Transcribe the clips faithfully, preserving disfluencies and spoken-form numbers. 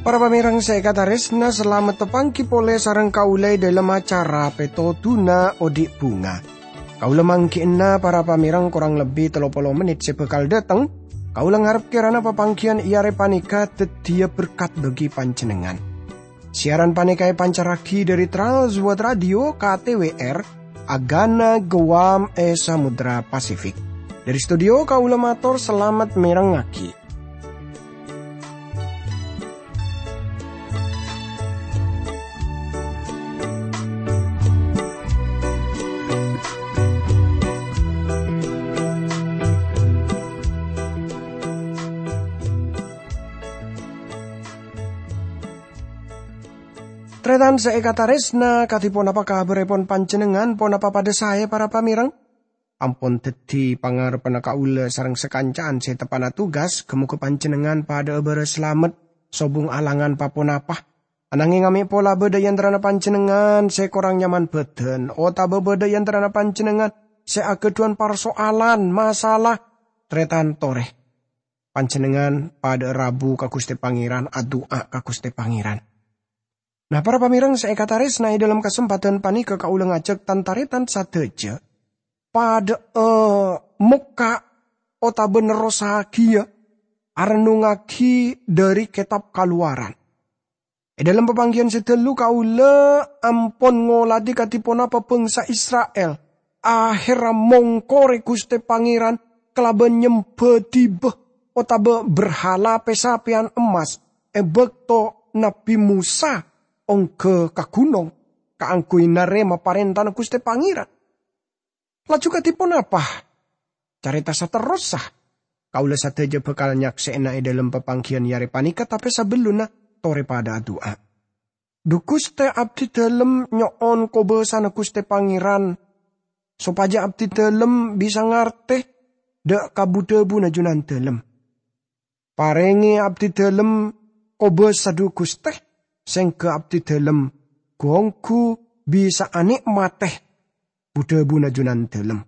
Para pamèrèng sè èkatarèsna, salamet tapangghi polè sareng kaulâ è dhâlem acara Pètodhuna Odi' Bhunga. Kaulâ mangghi'na para pamèrèng korang lebbi tello polo mennit sè bhâkal dhâteng. Kaulâ ngarep kèrana papangghiyân è arè panèka dhâddhiyâ berkat bagi panjhennengngan. Siaran panèka èpancarraghi dhâri Trans World Radio K T W R, Agana Guam è Samudra Pasifik. Dhâri studio kaulâ mator salamet mèrengngaghi. Tarètan sè èkatarèsna, kadhi ponapa kabhârèpon panjhennengngan? Ponapa padhâ saè, para pamèrèng? Ampon dhâddhi pangarebbhâ kaulâ sareng sakanca'an sè teppa'na tugas, ghâ-mogâ panjhennengngan padhâ'â bârâs salamet, sobung alangan pa-ponapa. Ananghing amè' pola bâdâ è antarana panjhennengngan sè korang nyaman bhâdhân, otabâ bâdâ è antarana panjhennengngan sè aghâdhuwân parso'alan, masalah, tarètan torè. Panjhennengngan padhâ'â rabu ka Ghustè Pangèran, adu'a ka Ghustè Pangèran. Nah, para pamèrèng sè èkatarèsna, è dhâlem kasempadhân panèka kaulâ ngajhâk tan-tarètan sadhâjâ padhâ'â mokka' otabâ nerrossaghiyâ arennungngaghi dhâri Kètab Kalowaran. È dhâlem papangghiyân sè dhâllu kaulâ ampon ngolatè kadhi ponapa bhângsa Isra'il aherra mongkorè Ghustè Pangèran kalabân nyembhâ dibâ otabâ berhala pè-sapèyan emmas è bâkto Nabbhi Mosa ongghâ ka ghunong kaangghuy narèma parèntana Ghustè Pangèran. Laju kadhi ponapa carèta saterrossa? Kaulâ sadhâjâ bhâkal nyaksè'ana è dhâlem papangghiyân è arè panèka, tapè sabellunna torè padhâ adu'a. Dhu Ghustè, abdhidhâlem nyo'on kobâsana Ghustè Pangèran, sopajâ abdhidhâlem bisa ngartè dhâ' ka bu-dhâbuna Junandhâlem. Parèngè abdhidhâlem kobâsa, dhu Ghustè, sèngghâ abdhidhâlem ghu-ongghu bisa anè'matè bu-dhâbuna Junandhâlem.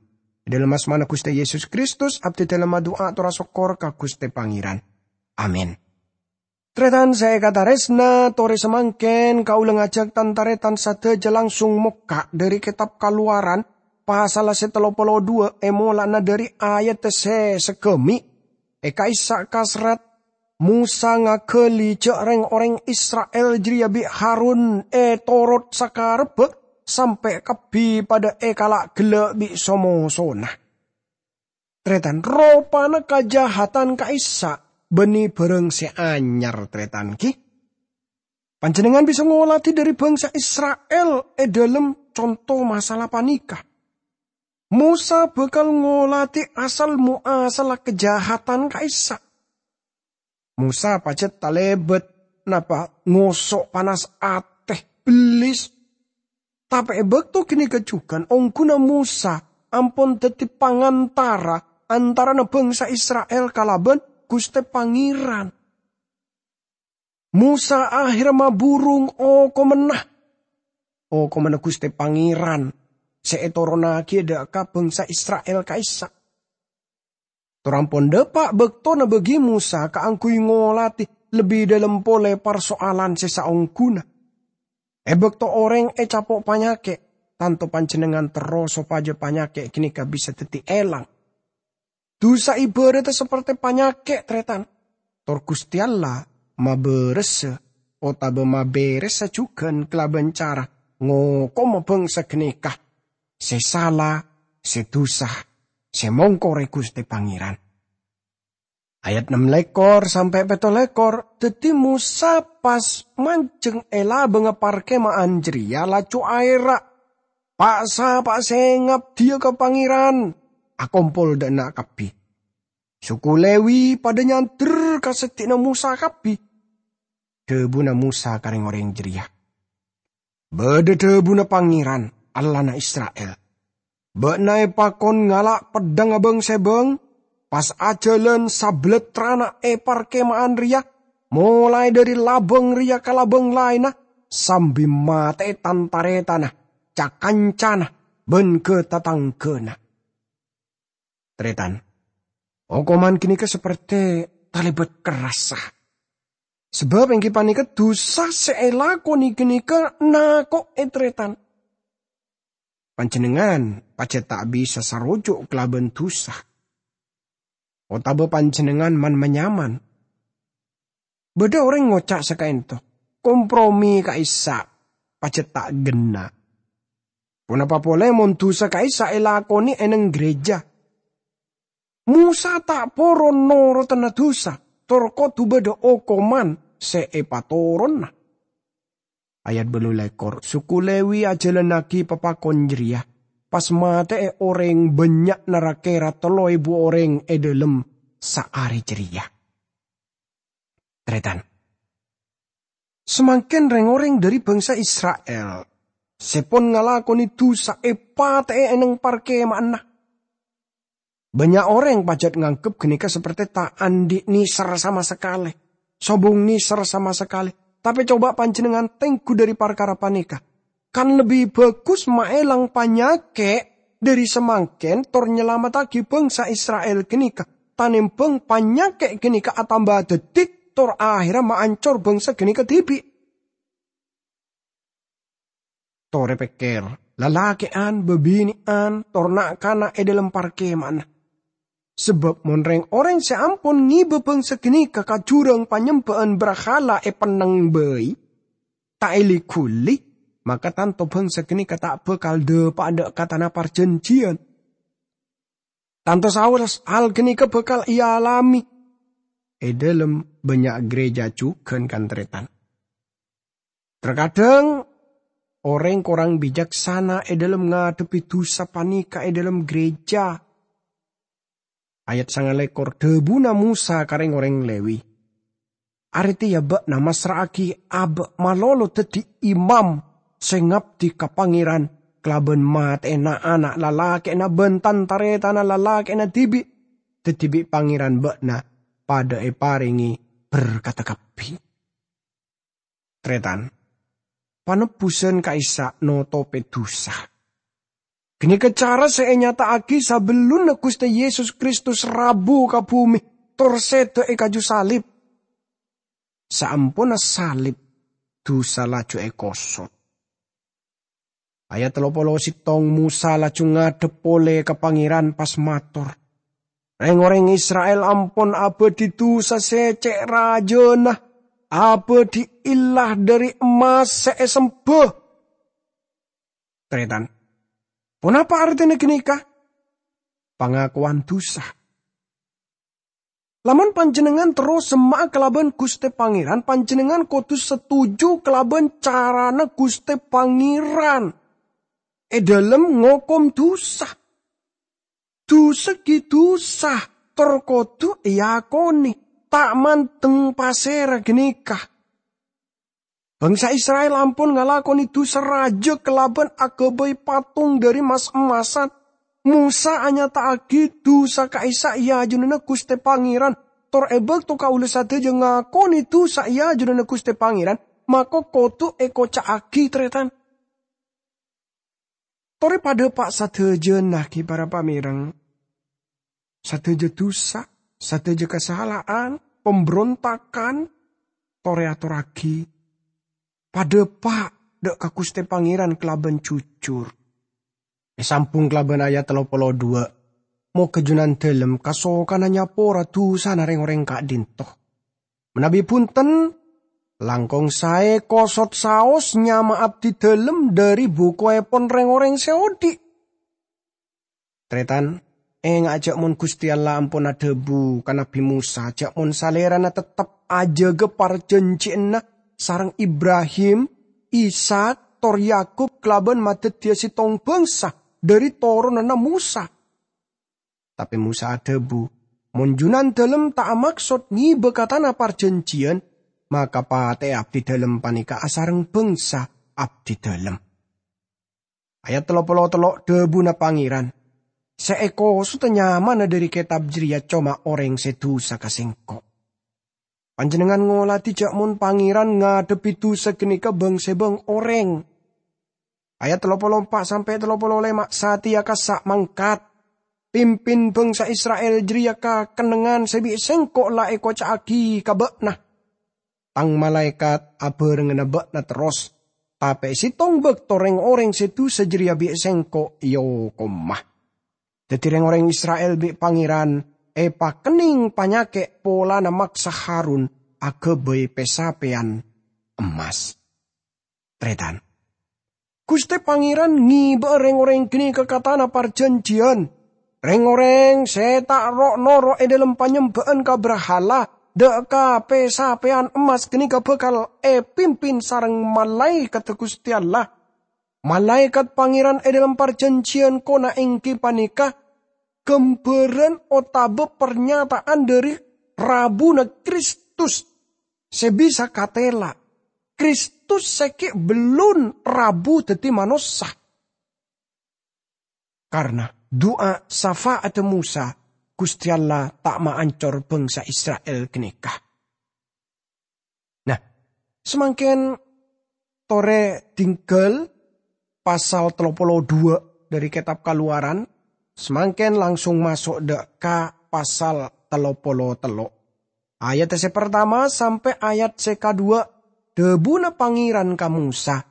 È dhâlem asmana Ghustè Yesus Kristus, abdhidhâlem adu'a atorra sokkor ka Ghustè Pangèran. Amin. Tarètan sè èkatarèsna, torè samangkèn kaulâ ngajhâk tan-tarètan sadhâjâ langsung mokka' dhâri Kètab Kalowaran, pasalla sè tello polo dhuwâ', è mola'na dhâri ayat sè saghâmè'. È ka'issa' kaserrat, Mosa ngaghâli jhâ' rèng-orèng Isra'il jârèya bi' Harun ètorot sakarebbhâ sampè' kabbhi padhâ èkala' ghellâ' bi' so-mosona. Tarètan, ropana kajahatan ka'issa' bânnè bhârâng sè anyar, tarètan, ghi. Panjhennengngan bisa ngolatè dhâri bhângsa Isra'il è dhâlem conto masalah panèka. Mosa bhâkal ngolatè asal-moasalla kajahatan ka'issa'. Mosa pajhât talèbât napa ngoso' panas atè, bellis. Tapè è bâkto ghânèka jhughân, ongghuna Mosa ampon dhâddhi pangantara antarana bhângsa Isra'il kalabân Ghustè Pangèran. Mosa aherra maburung okomanna, okomanna Ghustè Pangèran sè ètoronnaghiyâ dhâ' ka bhângsa Isra'il ka'issa'. Tor ampon dhâpa' bâktona bâgi Mosa kaangghuy ngolatè lebbi dhâlem polè parsoalan sè saongghuna. È bâkto orèng ècapo' panyakè', tanto panjhennengngan terro sopajâ panyakè' ghânèka bisa dhâddhi èlang. Dhusa ibhârâddhâ saperte panyakè', tarètan. Tor Ghustè Allah mabârâsa otabâ mabèrèsa jhughân kalabân cara ngokoma bhângsa ghânèka sè sala, sè dhusa, sè mongkorè Ghustè Pangèran. Ayat ennem lèkor sampè' pètto lèkor, dhâddhi Mosa pas manjheng è labângnga parkema'an jârèya, laju aèra', "Pa'-sapa'a sè ngabdhiyâ ka Pangèran, akompol dhâ' enna' kabbhi." Suku Lewi padhâ nyandher ka seddi'na Mosa kabbhi. Dhâbuna Mosa ka rèng-orèng jârèya, "Bâdâ dhâbuna Pangèran, Allahna Isra'il, 'Bâ'na èpakon ngala' peddhâng abâng-sèbâng, pas ajhâlân sabellâttrana è parkema'an rèya, molaè dhâri labâng rèya ka labâng laènna, sambi matè'è tan-tarètanna, ca-kancana, bân ghâ-tatangghâna. Tarètan, okoman ghânèka saperte talèbât kerrassa. Sabâb èngghi panèka dhusa sè èlakonè ghânèka nako'è tarètan. Panjhennengngan pajhât ta' bisa saroju' kalabân dhusa. Otabâ panjhennengngan man-manyaman. Bâdâ orèng ngoca' sakaènto, "Kompromi ka'issa' pajhât ta' ghenna'." Ponapa polè mon dhusa ka'issa' èlakonè è neng ghârèjâ? Mosa ta' poron norotanna dhusa, tor kodhu bâdâ okoman sè èpatoronna. Ayat bâllu lèkor, suku Lewi ajhâlannaghi papakon jârèya, pas matè'è orèng bânnya'na ra-kèra tello èbu orèng è dhâlem saarè jârèya. Tarètan. Samangkèn rèng-orèng dhâri bangsa Isra'il sè pon ngalakonè dhusa èpatè'è è neng parkèma'anna. Bânnya' orèng pajhât nganggep ghânèka saperte ta' andi' nèser sama sakalè, sobung nèser sama sakalè. Tapè coba panjhennengngan tengghu dhâri parkara panèka. Kan lebbi bhâghus maèlang panyakè' dhâri samangkèn tor nyalamettaghi bangsa Isra'il ghânèka, tanèmbhâng panyakè' ghânèka atamba dhâddhi tor ahèrra maancor bangsa ghânèka dhibi'. Torè pèkkèr, lalakè'an, bâbinè'an, tor na'-kana' è dhâlem parkèma'anna. Sabâb mon rèng-orèng sè ampon ngibâ bangsa ghânèka ka jhurâng panyembhâ'ân brahala èpennèng bhâi, ta' èli-ghuli, maka tanto bangsa ghânèka ta' bhâkal dâpa'a dâ' ka tana parjhânjhiyân. Tanto saos hal ghânèka bhâkal èalamè è dhâlem bânnya' ghârèjâ jhughân, kan-tarètan. Terkadang orèng korang bicaksana è dhâlem ngadhebbhi dhusa panèka è dhâlem ghârèjâ. Ayat sangalèkor, dhâbuna Mosa ka rèng-orèng Lewi, "Arèya bâ'na massra'aghi abâ' malolo dhâddhi imam sè ngabdi ka Pangèran kalabân matè'è na'-ana' lalakè'na bân tan-tarètanna lalakè'na dhibi', dhâddhi bi' Pangèran bâ'na padâ èparèngè berkadhâ kabbhi." Tarètan, panebbusan ka'issa' notopè dhusa. Ghânèka cara sè ènyata'aghi sabellunna Ghustè Yesus Kristus rabu ka bhumè tor sèdhâ è kaju salib. Saamponna salib, dhusa laju èkosot. Ayat tello polo sèttong, Mosa laju ngadhep polè ka Pangèran, pas mator, "Rèng-orèng Isra'il ampon abâdhi dhusa sè cè' rajâna, abâdhi ella dhâri emmas sè èsembhâ." Tarètan, ponapa artèna ghânèka? Pangakowan dhusa. Lamon panjhennengngan terro semma'a kalabân Ghustè Pangèran, panjhennengngan kodhu satoju kalabân carana Ghustè Pangèran è dhâlem ngokom dhusa. Dhusa ghi' dhusa, tor kodhu èakonè, ta' mandeng pasèra ghânèka. Bangsa Isra'il ampon ngalakonè dhusa rajâ kalabân aghâbây patung dhâri mas-emmasan. Mosa anyata'aghi dhusa ka'issa' è ajunanna Ghustè Pangèran, tor è bâkto kaulâ sadhâjâ ngakonè dhusa è ajunanna Ghustè Pangèran, mako kodhu èkoca'aghi, tarètan. Torè padâ pa' sadhâjâna ghi para pamèreng. Sadhâjâ dhusa, sadhâjâ kasala'an, pambrontakan, torè atorraghi. Padâ pa' dâ' ka Ghustè Pangèran kalabân jujur. Èsambung kalabân ayat tello polo dua, "Moghâ Jhunandhâlem kasokana nyapora dhusana rèng-orèng ka'dinto. Manabi bhunten, langkong saè kosot saos nyama abdidhâlem dhâri bukoèpon rèng-orèng sè odi'." Tarètan, enga' jhâ' mon Ghustè Allah ampon adhâbu ka Nabbhi Mosa jhâ' mon salèrana teptep ajâgâ parjhânjhiyânna sareng Ibrahim, Ishak, tor Yakub kalabân madhâddhiyâ sèttong bhângsa dhâri toronanna Mosa. Tapè Mosa adhâbu, "Mon Jhunandhâlem ta' amaksod ngibâ ka tana parjhânjhiyân, maka patè'è abdidhâlem panèka asareng bhângsa abdidhâlem." Ayat tello polo tello', dhâbuna Pangèran, "Sè èkosodhâ nyamana dhâri kètab jârèya coma orèng sè dhusa ka Sèngko'." Panjhennengngan ngoladhi jhâ' mon Pangèran ngadhebbhi dhusa ghânèka bâng-sèbâng orèng. Ayat tello polo empa' sampè' tello polo lèma', satèya kassa' mangkat. Pimpin bhângsa Isra'il jârèya ka kennengngan sè bi' Sèngko' la èkoca'aghi ka bâ'na. Tang malaèkat abhârengnganna bâ'na terros, tapè sèttong bâkto rèng-orèng sè dhusa jârèya bi' Sèngko' èokoma. Dhâddhi rèng-orèng Isra'il bi' Pangèran èpakennèng panyakè' polana maksa Harun aghâbây pè-sapèyan emmas. Tarètan. Ghustè Pangèran ngèbâ'â rèng-orèng ghânèka ka tana parjhânjhiyân. Rèng-orèng sè ta' ro'-noro' è dhâlem panyembhâ'ân ka brahala, dâ' ka pè-sapèyan emmas ghânèka bhâkal èpimpin sareng malaèkaddhâ Ghustè Allah. Malaèkat Pangèran è dhâlem parjhânjhiyân kona èngghi panèka ghâmbhârân otabâ parnyata'an dhâri rabuna Kristus sè bisa katèla. Kristus sè ghi' bellun rabu dhâddhi manossa. Karna du'a safa'adda Mosa, Ghustè Allah ta' maancor bhângsa Isra'il ghânèka. Nah, samangkèn torè dhinggâl pasal tello polo duwâ' dhâri Kètab Kalowaran, samangkèn langsung maso' dâ' ka pasal tello polo tello'. Ayat sè partama sampè' ayat sè kaduwâ', dhâbuna Pangèran ka Mosa,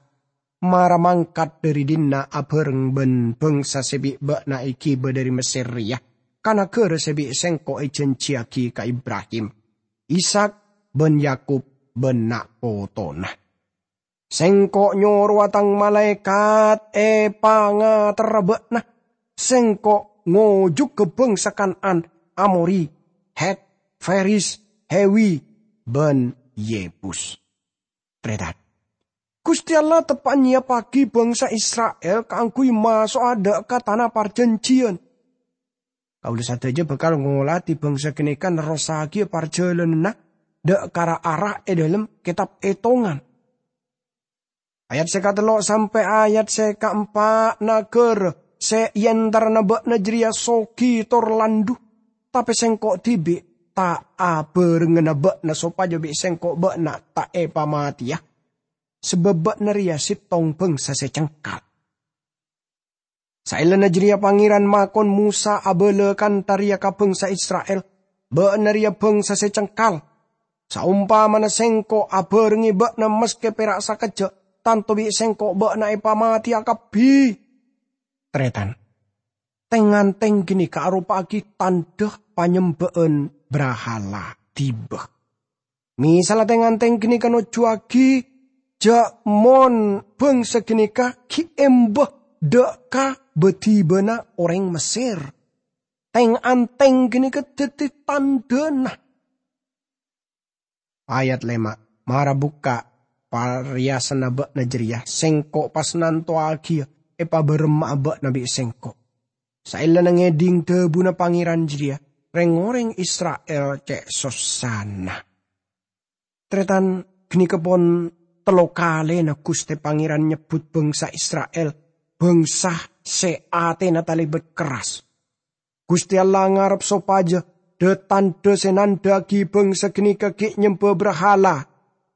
"Mara mangkat dhâri dinna' abhâreng bân bhângsa sè bi' bâ'na èghibâ dhâri Messèr rèya, ka naghârâ sè bi' Sèngko' èjhânjhiyaghi ka Ibrahim, Ishak, bân Yakub, bân na'-potona. Sèngko' nyorowa Tang malaèkat èpangaterra bâ'na. Sèngko' ngojhughâ bhângsa Kan'an, Amori, Hèt, Feris, Hewi, bân Yebus." Tarètan. Ghustè Allah teppa'na nyèyappaghi bhângsa Isra'il kaangghuy maso'a dâ' ka tana parjhânjhiyân. Kaulâ sadhâjâ bhâkal ngoladhi bhângsa ghânèka nerrossaghiyâ parjhâlânanna dâ' ka ra-ara è dhâlem Kètab Ètongan. Ayat sè katello' sampè' ayat sè kaempa', naghârâ sè èentarana bâ'na jârèya soghi tor landhu, tapè Sèngko' dhibi' ta' abhârengngana bâ'na sopajâ bi' Sèngko' bâ'na ta' èpamatèya, sabâb bâ'na rèya sèttong bhângsa sè cengkal. Saellana jârèya Pangèran makon Mosa abâlâ kantha rèya ka bhângsa Isra'il, "Bâ'na rèya bhângsa sè cengkal. Saompamana Sèngko' abhârengngè bâ'na maskè pèra' sakejjhâ', tanto bi' Sèngko' bâ'na èpamatèya kabbhi." Tarètan. Tèng-ngantèng ghânèka aropa'aghi tandhâ panyembhâ'ân brahala dhibi'. Mèsalla tèng-ngantèng ghânèka nojjhuwâghi jhâ' mon bhângsa ghânèka ghi' èmbâ dâ' ka bâdhibâna orèng Messèr. Tèng-ngantèng ghânèka dhâddhi tandhâna. Ayat lèma', "Mara bukka' parèyasanna bâ'na jârèya, Sèngko' pas nantowaghi èpabârâmma'a bâ'na bi' Sèngko'." Saellana ngèdhing dhâbuna Pangèran jârèya, rèng-orèng Isra'il cè' sossana. Tarètan, ghânèka pon tello kalèna Ghustè Pangèran nyebbhut bhângsa Isra'il, bhângsa sè atèna talèbât kerras. Ghustè Allah ngarep sopajâ dhâ-tandhâ sè nandhâ'aghi bhângsa ghânèka ghi' nyembâ brahala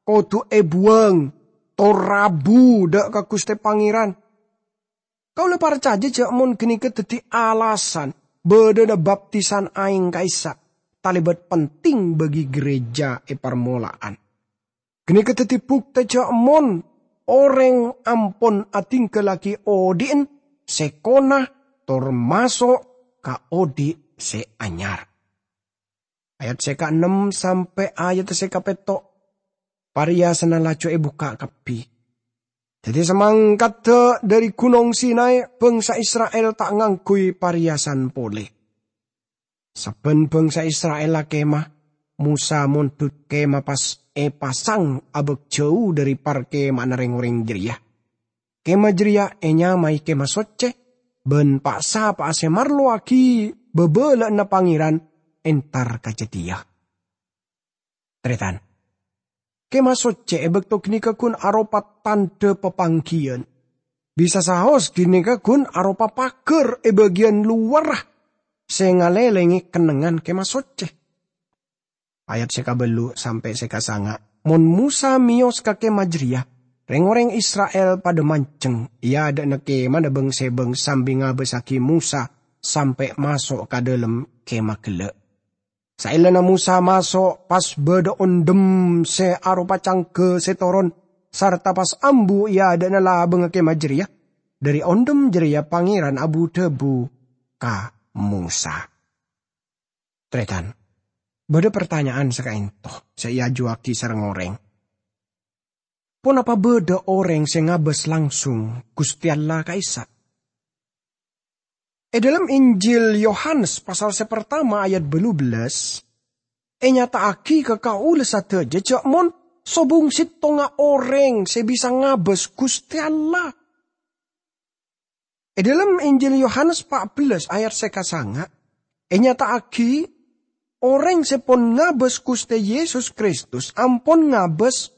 kodhu èbuwâng, tor rabu dâ' ka Ghustè Pangèran. Kaulâ parcajâ jhâ' mon ghânèka dhâddhi alasan bâdâna baptisan aèng ka'issa' talèbât penting bagi ghârèjâ è parmola'an. Ghânèka dhâddhi buktè jhâ' mon orèng ampon adhinggâllaghi odhi'en sè kona tor maso' ka odhi' sè anyar. Ayat sè kaennem sampè' ayat sè kapètto', parèyasanna laju èbukka' kabbhi. Dhâddhi samangkadda dhâri Ghunong Sinai, bhângsa Isra'il ta' ngangghuy parèyasan polè. Sabbhân bhângsa Isra'il akèma, Mosa mondhut kèma pas èpasang abâk jhâu dhâri parkèma'anna rèng-orèng jârèya. Kèma jârèya ènyamaè Kèma Soccè, bân pa'-sapa'a sè marlowaghi bhâbhâlâ'ânna Pangèran entar ka jâdiyâ. Tarètan. Kèma Soccè è bâkto ghânèka ghun aropa tandhâ papangghiyân. Bisa saos ghânèka ghun aropa paghâr è bâgiyân lowarra sè ngalèlèngè kennengngan Kèma Soccè. Ayat sè kabellu' sampè' sè kasanga'. Mon Mosa meyos ka kemah jareya, reng-oreng Isra'il padha manjeng è adha'na kemana bâng-sebâng sambi ngabâssaghi Mosa sampè' maso' ka dhalem kemah ghellâ'. Saellana Mosa maso', pas bâdâ ondhem sè aropa cangghâ sè toron, sarta pas ambu è adha'na labângnga kemah jareya. Dhâri ondhem jareya Pangèran abu-dhâbu ka Mosa. Tarètan, bâdâ partanya'an sè ka'ènto sè èajuwâghi sareng orèng. Ponapa bâdâ orèng sè ngabâs langsung Ghustè Allah ka'issa'? È dhalem Injil Yohanes pasal sè partama ayat bâllu bellâs, ènyata'aghi ka kaulâ sadhâjâ jhâ' mon sobung sèttonga orèng sè bisa ngabâs Ghustè Allah. È dhalem Injil Yohanes pa' bellâs ayat sè kasanga', ènyata'aghi orèng sè pon ngabâs Ghustè Yesus Kristus ampon ngabâs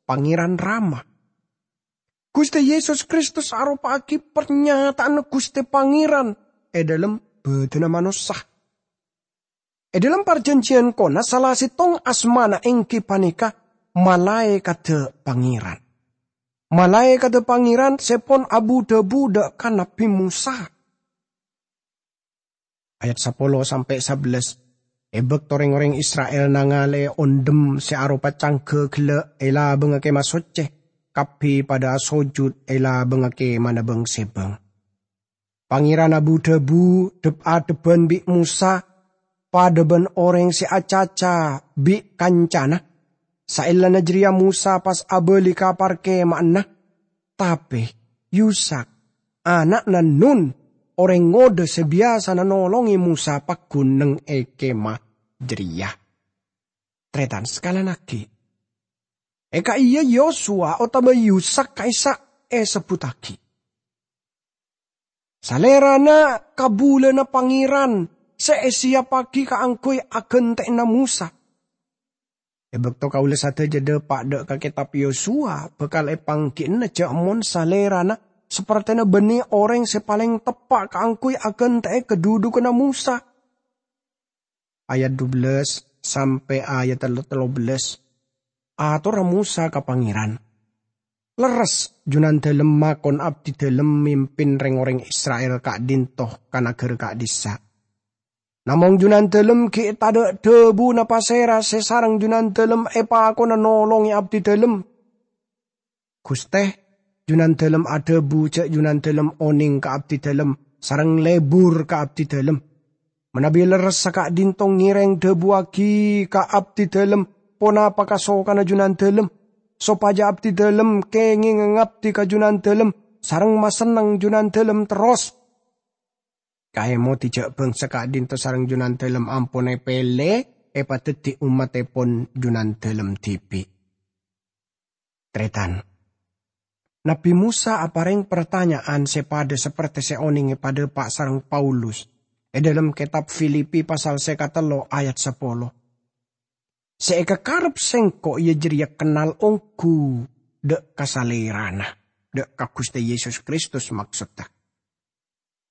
Pangèran Rama. Ghustè Yesus Kristus aropa'aghi parnyata'anna Ghustè Pangèran è dhalem bhâdhânna manossa. È dhalem Parjhânjhiyân Kona, sala sèttong asmana èngghi panèka Malaèkaddhâ Pangèran. Malaèkaddhâ Pangèran sè pon abu-dhâbu dhâ' ka Nabbhi Mosa. Ayat sapolo sampè' sabellâs. È bâkto rèng-orèng Isra'il nangalè ondhem sè aropa cangghâ ghellâ' è labângnga Kemah Soccè, kabbhi padâ asojud è labângnga kemana bâng-sebâng. Pangèran abu-dhâbu dhep-adhebbhân bi' Mosa padâ bân orèng sè acaca bi' kancana. Saellana jârèya Mosa pas abâli ka parkema'anna, tapè Yusak, ana'na Nun, orèng ngodâ sè biyasana nolongè Mosa, paggun neng è kemah jârèya. Tarètan sakalèan aghi', è ka'iyâ Yosua otabâ Yusak ka'issa' èsebbhuttaghi. Salèrana kabulâna Pangèran sè èsiyappaghi kaangghuy aghântè'ana Mosa. È bâkto kaulâ sadhâjâ dâpa' dhâ' ka Kètab Yosua, bhâkal èpangghi'ana jhâ' mon Salèrana sapertèna bânnè orèng sè palèng teppa' kaangghuy aghântè'è kadhudhughânna Mosa. Ayat dubellâs sampè' ayat tello bellâs. Atorra Mosa ka Pangèran, "Lerres, Junandâlem makon abdidâlem mimpin rèng-orèng Isra'il ka'dinto ka naghârâ ka'dissa'. Namong Junandâlem ghi' tadâ' dhâbuna pasèra sè sareng Junandâlem èpakona nolongè abdidâlem." "Ghustè," Junandâlem adhâbu, "jhâ' Junandâlem onèng ka abdidâlem sareng lebur ka abdidâlem. Manabi lerressa ka'dinto ngèrèng dhâbuwâghi ka abdidâlem ponapa kasokana Junandâlem, sopajâ abdidâlem kèngènga ngabdi ka Junandâlem sareng masenneng Junandâlem terros." Kaèmodhi jhâ' bhângsa ka'dinto sareng Junandâlem ampon èpèlè èpadhâddhi ommattèpon Junandâlem dhibi'. Tarètan. Nabbhi Mosa aparèng partanya'an sè padâ sapertè sè onèng èpadâpa' sareng Paulus è dâlem kètab Filipi pasal sè katello ayat sapolo. "Sè èkakarep sèngko' iyâ jârèya kennal ongghu dhâ' ka Salèrana, dhâ' ka Ghustè Yesus Kristus, maksodda."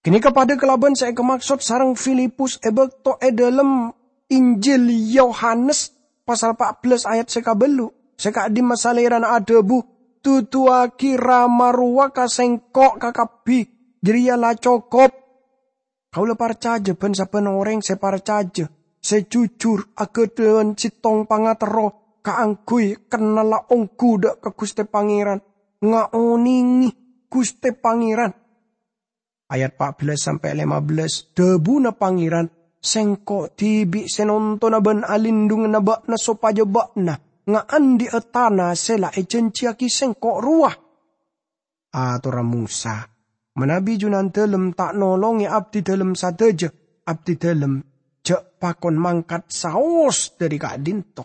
Ghânèka padâ kalabân sè èkamaksod sareng Filipus è bâkto è dâlem Injil Yohanes pasal pa' bellâs ayat sè kabellu', sè ka'dimma Salèrana adhâbu, "Duduwâghi Rama rowa ka sèngko' kakabbhi, jârèya la cokop." Kaulâ parcajâ bân sabbhân orèng sè parcajâ, sè jujur, aghâdhân sèttong pangaterro kaangghuy kennalla ongghu dhâ' ka Ghustè Pangèran, ngaonèngè Ghustè Pangèran. Ayat pa' bellâs sampè' lèma bellâs, dhâbuna Pangèran, "Sèngko' dhibi' sè nontona bân alindhunganna bâ'na sopajâ bâ'na ngaandhi'â tana sè la èjhânjhiyâghi sèngko' rowa." Atorra Mosa, "Manabi Junandâlem ta' nolongè abdidâlem sadhâjâ, abdidâlem jhâ' pakon mangkat saos dhâri ka'dinto."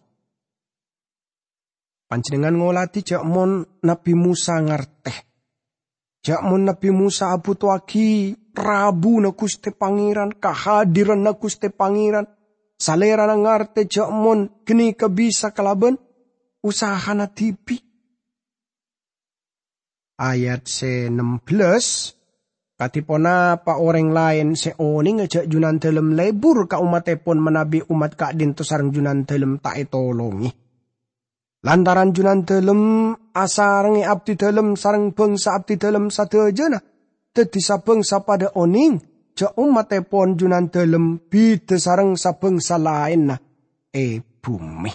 Panjhennengngan ngoladhi jhâ' mon Nabbhi Mosa ngartè. Jhâ' mon Nabbhi Mosa abhutowaghi rabuna Ghustè Pangèran, kahadiranna Ghustè Pangèran, Salèrana ngartè jhâ' mon ghânèka bisa kalabân usahana dhibi'. Ayat sè nem bellâs, Kadhi ponapa orèng laèn sè onènga jâ' Junandâlem lebur ka ommattèpon manabi ommat ka'dinto sareng Junandâlem ta' ètolongè? Lantaran Junandâlem asarengngè abdidâlem sareng bhângsa abdidâlem sadhâjâna, dhâddhi sabhângsa padâ onèng jâ' ommattèpon Junandâlem bhidhâ sareng sabhângsa laènna è bhumè.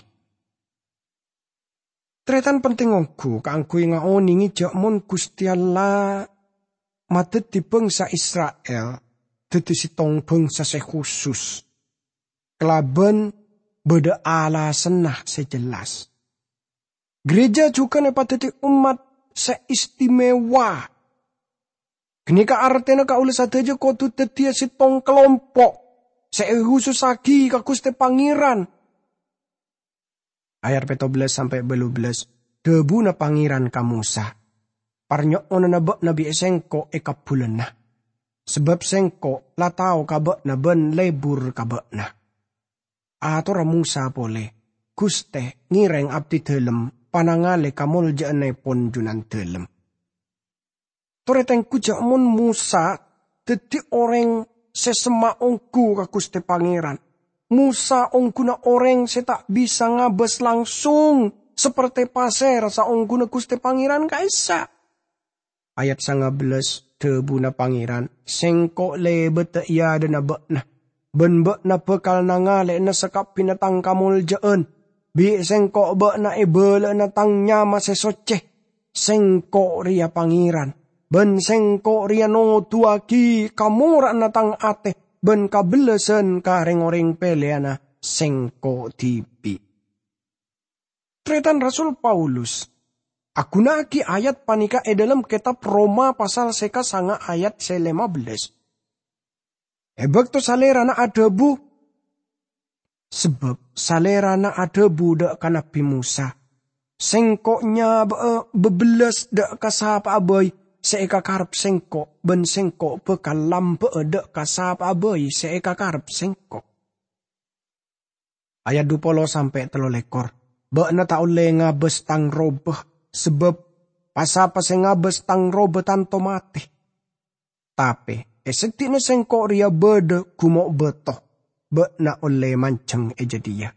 Tarètan penting ongghu kaangghuy ngaonèngè jâ' mon Ghustè Allah madhâddhi bhângsa Isra'il, dhâddhi sèttong bhângsa sè khusus, kalabân bâdâ alasanna sè jelas. Gereja jhughân èpadhâddhi ommat sè istimewa. Ghânèka artèna kaulâ sadhâjâ kodhu dhâddhiyâ sèttong kalompo' sè èhusussaghi ka Ghustè Pangèran. Ayat pètto bellâs sampè' bâllu bellâs, dhâbuna Pangèran ka Mosa, "Parnyo'onanna bâ'na bi' sèngko' èkabbhulâna, sabâb sèngko' la tao ka bâ'na bân lebur ka bâ'na." Atorra Mosa polè, "Ghustè, ngèrèng abdidâlem panangalè kamoljâ'annèpon Junandâlem." Torè tengghu jâ' mon Mosa dhâddhi orèng sè semma' ongghu ka Ghustè Pangèran. Mosa ongghuna orèng sè ta' bisa ngabâs langsung, saperte pasèra saongghuna Ghustè Pangèran ka'issa'. Ayat sanga bellâs, dhâbuna Pangèran, "Sèngko' lèbâdhâ è adâ'na bâ'na, bân bâ'na bhâkal nangalè'ana sakabbhiyânna Tang kamoljâ'ân. Bi' Sèngko' bâ'na èbâlâ'âna Tang nyama sè soccè. Sèngko' rèya Pangèran, bân Sèngko' rèya noduwâghi kamora'anna Tang atè bân kabellasân ka rèng-orèng pèlèyanna Sèngko' dhibi'." Tarètan Rasul Paulus aghunaaghi ayat panèka è dhâlem kètab Roma pasal sè kasanga ayat sè lèma bellâs. È bâkto Salèrana adhâbu, sabâb Salèrana adhâbu dhâ' ka Nabbhi Mosa, "Sèngko' nyabâ'â bâbellâs dhâ' ka sapa'a bhâi sè èkakarep Sèngko', bân Sèngko' bhâkal lambâ'â dhâ' ka sapa'a bhâi sè èkakarep Sèngko'." Ayat dhu polo sampè' tello lèkor, "Bâ'na ta' ollè ngabâs Tang robâ, sabâb pa-sapa sè ngabâs Tang robâ tanto matè. Tapè è seddi'na Sèngko' rèya bâdâ gumo' bâto, bâ'na ollè manjheng è jâdiyâ.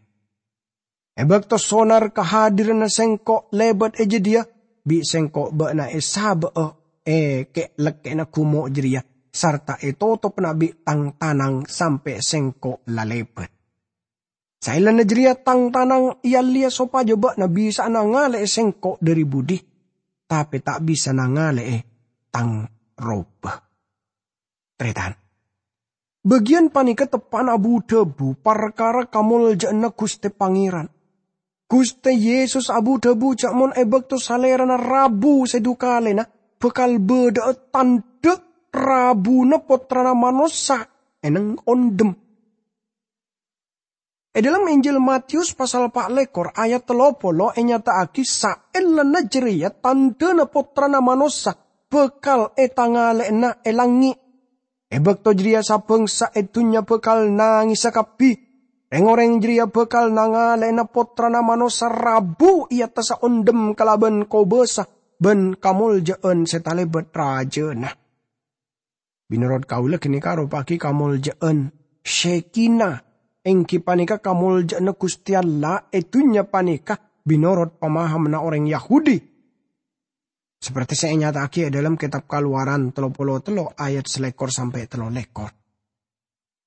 È bâkto sonar kahadiranna Sèngko' lèbât è jâdiyâ, bi' Sèngko' bâ'na èsabâ'â è ke'-, lekkè'na gumo' jârèya, sarta ètotopana bi' Tang tanang sampè' Sèngko' la lèbât. Saellana jârèya Tang tanang èallèya sopajâ bâ'na bisa'a nangalè'è Sèngko' dhâri budi, tapè ta' bisa nangalè'è Tang robâ." Tarètan, bâgiyân panèka teppa'na abu-dhâbu parkara kamoljâ'ânna Ghustè Pangèran. Ghustè Yesus abu-dhâbu jâ' mon è bâkto Salèrana rabu sè dhu kalèna bhâkal bâdâ'â tandhâ rabuna Pottrana Manossa è neng-ondhem. È dhâlem Injil Matius pasal pa' lèkor ayat tello polo ènyata'aghi saellana jârèya tandhâna Pottrana Manossa bhâkal ètangalè'ana è langngè'. È bâkto jârèya sabhângsa è dhunnya bhâkal nangèsa kabbhi. Rèng-orèng jârèya bhâkal nangalè'ana Pottrana Manossa rabu è attassa ondhem kalabân kobâsa bân kamoljâ'ân sè talèbât rajâna. Mènorot kaulâ ghânèka aropa'aghi kamoljâ'ân Shekinah, èngghi panèka kamoljâ'ânna Ghustè Allah è dhunnya panèka mènorot pamahamanna orèng Yahudi. Saperte sè ènyata'aghi è dhâlem Kètab Kalowaran tello polo tello ayat salèkor sampè' tello lèkor.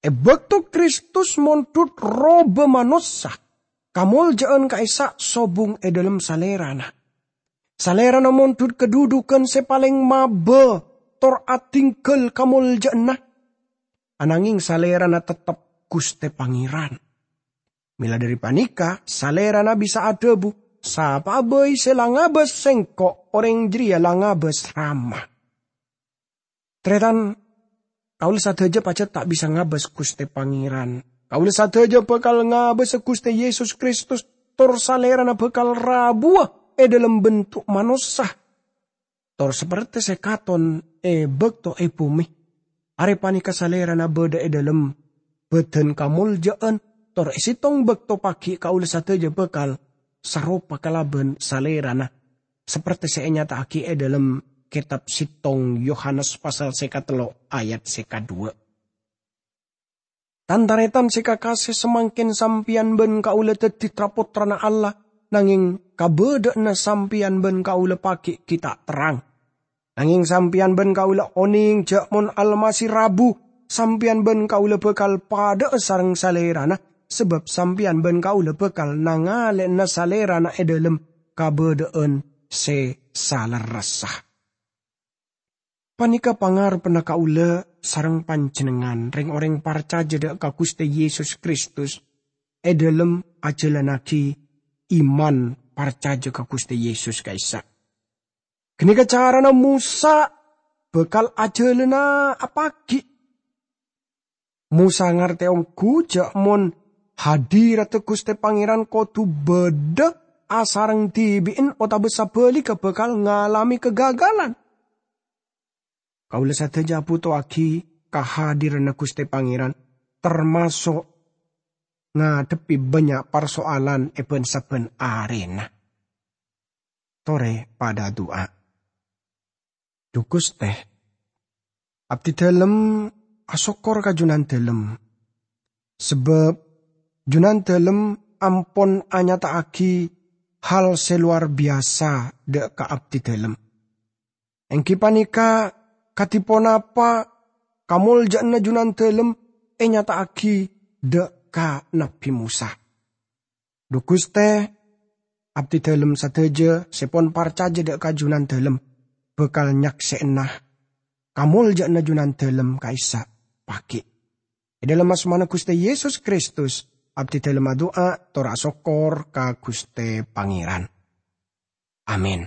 È bâkto Kristus mondhut robâ manossa, kamoljâ'ân ka'issa' sobung è dhâlem Salèrana. Salèrana mondhut kadhudhughân sè palèng mabâ tor adhingghâl kamoljâ'ânna. Ananghèng Salèrana teptep Ghustè Pangèran. Mèla dhâri panèka, Salèrana bisa adhâbu, "Sapa'a bhâi sè la ngabâs Sèngko', orèng jârèya la ngabâs Rama." Tarètan, kaulâ sadhâjâ pajhât ta' bisa ngabâs Ghustè Pangèran. Kaulâ sadhâjâ bhâkal ngabâsa Ghustè Yesus Kristus, tor Salèrana bhâkal rabuwâ è dhâlem bentuk manossa. Tor saperte sè katon è bâkto è bhumè, arè panèka Salèrana bâdâ è dhâlem bhâdhân kamoljâ'ân, tor è sèttong bâkto paghi' kaulâ sadhâjâ bhâkal saropa kalabân Salèrana, saperte sè ènyata'aghi è dhâlem Kètab sèttong Yohanes pasal sè katello' ayat sè kaduwâ'. Tan-tarètan sè kakasè, samangkèn sampèyan bân kaulâ dhâddhi tra-pottrana Allah, nangèng kabâdâ'ânna sampèyan bân kaulâ paghi' ghi' ta' terrang. Nangèng sampèyan bân kaulâ onèng jâ' mon Almasih rabu, sampèyan bân kaulâ bhâkal padhâ'â sareng Salèrana, sabâb sampèyan bân kaulâ bhâkal nangalè'ana Salèrana è dhâlem kabâdâ'ân sè salerressa. Panèka pangarebbhâ kaulâ sareng panjhennengngan, rèng-orèng parcajâ dâ' ka Ghustè Yesus Kristus, è dhâlem ajhâlannaghi iman parcajâ ka Ghustè Yesus ka'issa'. Ghânèka carana Mosa bhâkal ajhâlâna apaghi'. Mosa ngartè ongghu jâ' mon hadiradda Ghustè Pangèran kodhu bâdâ asareng dhibi'en otabâ sabhâligghâ bhâkal ngalamè kagagalan. Kaulâ sadhâjâ abhutoaghi kahadiranna Ghustè Pangèran, tamaso' ngadhebbhi bânnya' parsoalan è bân-sabbhân arèna. Torè padâ adu'a. Dhu Ghustè, abdhi dhâlem asokkor ka Junandhâlem, sabâb Junandhâlem ampon anyata'aghi hal sè lowar biyasa dâ' ka abdhi dhâlem. Èngghi panèka, kadhi ponapa kamoljâ'ânna Junandhâlem ènyata'aghi dâ' ka Nabbhi Mosa. Dhu Ghustè, abdhi dhâlem sadhâjâ sè pon parcajâ dâ' ka Junandhâlem bhâkal nyaksè'ana kamoljâ'ânna Junandhâlem ka'issa' paghi'. È dhâlem asmana Ghustè Yesus Kristus, abdhi dhâlem adu'a tor asokkor ka Ghustè Pangèran. Amin.